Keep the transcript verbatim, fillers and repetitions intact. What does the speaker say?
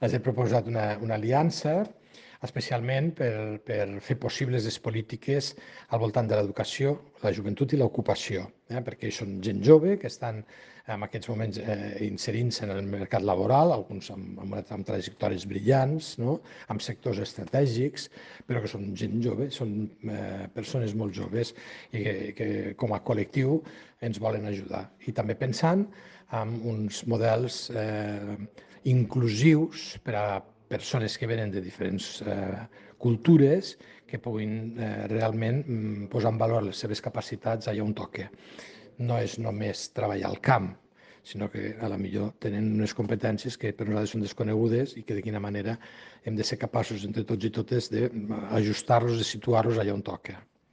els he proposat una, una aliança, especialment per, per fer possibles les polítiques al voltant de l'educació, la joventut i l'ocupació, eh? perquè són gent jove que estan en aquests moments eh, inserint-se en el mercat laboral, alguns amb, amb, amb trajectòries brillants, no? Amb sectors estratègics, però que són gent jove, són eh, persones molt joves i que, que com a col·lectiu ens volen ajudar. I també pensant en uns models eh, inclusius per a persones que venen de diferents eh, cultures que puguin eh, realment mm, posar en valor les seves capacitats allà on toca. No és només treballar al camp, sinó que a la millor tenen unes competències que per nosaltres són desconegudes i que de quina manera hem de ser capaços entre tots i totes d'ajustar-los, de situar-los allà on toca.